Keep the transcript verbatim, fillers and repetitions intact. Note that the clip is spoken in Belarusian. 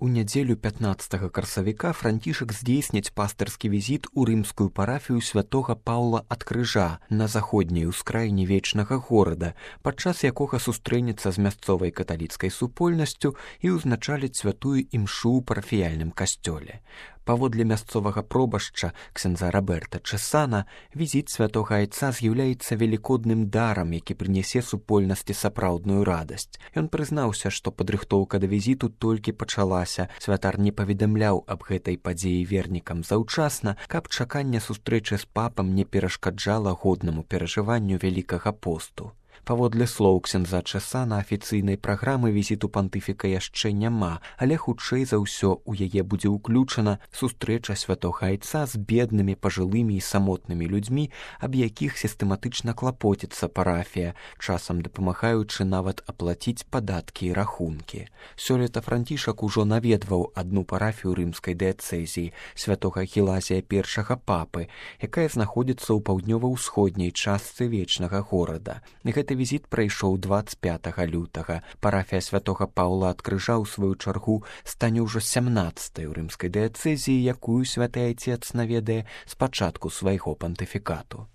У нядзелю пятнаццатага красавіка Францішак здзейсніць пастырскі візіт у рымскую парафію святога Паўла ад Крыжа на заходняй ускраіне вечнага горада, падчас якога сустрэнецца з мясцовай каталіцкай супольнасцю і ўзначаліць святую імшу ў парафіяльным касцёле. Паводле мясцовага пробашча ксяндза Роберта Чесана, візіт святога айца з'яўляецца велікодным дарам, які прынясе супольнасці сапраўдную радасць. Ён прызнаўся, што падрыхтоўка да візіту толькі пачалася. Святар не паведамляў аб гэтай падзеі вернікам заўчасна, каб чаканне сустрэчы з папам не перашкаджала годнаму перажыванню Вялікага посту. Паводле слоў ксяндза Чесана, афіцыйнай праграмы візіту пантыфіка яшчэ няма, але хутчэй за ўсё у яе будзе ўключана сустрэча святога айца з беднымі, пажылымі і самотнымі людзьмі, аб якіх сістэматычна клапоціцца парафія, часам дапамагаючы нават аплаціць падаткі і рахункі. Сёлета Францішак ужо наведваў адну парафію рымскай дыяцэзіі, святога Гелазія першага папы, якая знаходзіцца ў паўднёва-ўсходняй частцы вечнага горада. Гэты візіт прайшоў дваццаць пятага лютага. Парафія святога Паўла ад Крыжа, у сваю чаргу, стане ўжо сямнаццатай у рымскай дыяцэзіі, якую святы айцец наведае з пачатку свайго пантыфікату.